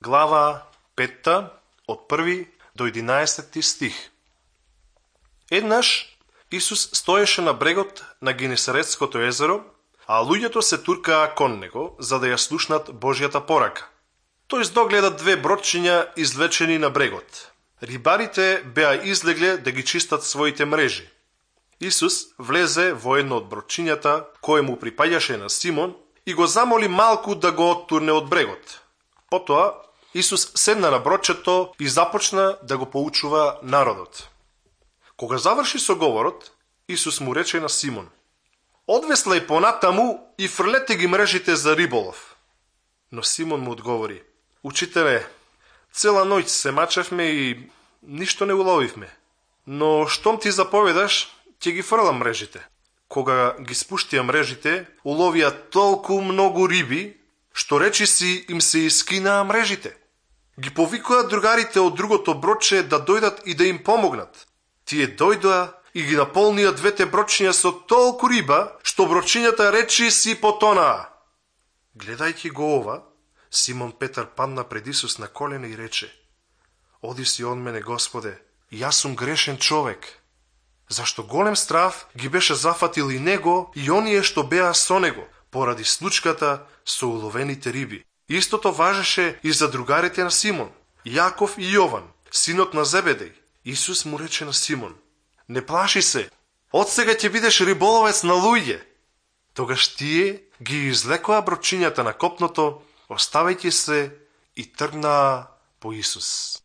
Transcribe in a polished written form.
глава 5, од 1 до 11 стих. Еднаш Исус стоеше на брегот на Генесаретското езеро, а луѓето се туркаа кон него, за да ја слушнат Божјата порака. Тој здогледа две бродчиња извлечени на брегот. Рибарите беа излегле да ги чистат своите мрежи. Исус влезе во едно од бродчињата, кое му припаѓаше на Симон, и го замоли малку да го оттурне од брегот. Потоа, Исус седна на бродчето и започна да го поучува народот. Кога заврши со говорот, Исус му рече на Симон: "Одвеслај понатаму и фрлете ги мрежите за риболов." Но Симон му одговори: "Учителе, цела ноќ се мачевме и ништо не уловивме. Но штом ти заповедаш, ќе ги фрлам мрежите." Кога ги спуштија мрежите, уловија толку многу риби, што речиси им се искинаа мрежите. Ги повикоа другарите од другото бродче да дојдат и да им помогнат. Тие дојдоа и ги наполнија двете бродчиња со толку риба, што бродчињата речиси потонаа. Гледајќи го ова, Симон Петар падна пред Исус на колена и рече: "Оди си од мене, Господе, јас сум грешен човек." Зашто голем страв ги беше зафатил и него и оние што беа со него, поради случката со уловените риби. Истото важеше и за другарите на Симон, Јаков и Јован, синот на Зебедеј. Исус му рече на Симон: "Не плаши се, од сега ќе бидеш риболовец на луѓе." Тогаш тие ги излекоа бродчињата на копното, оставајќи се и тргнаа по Исус.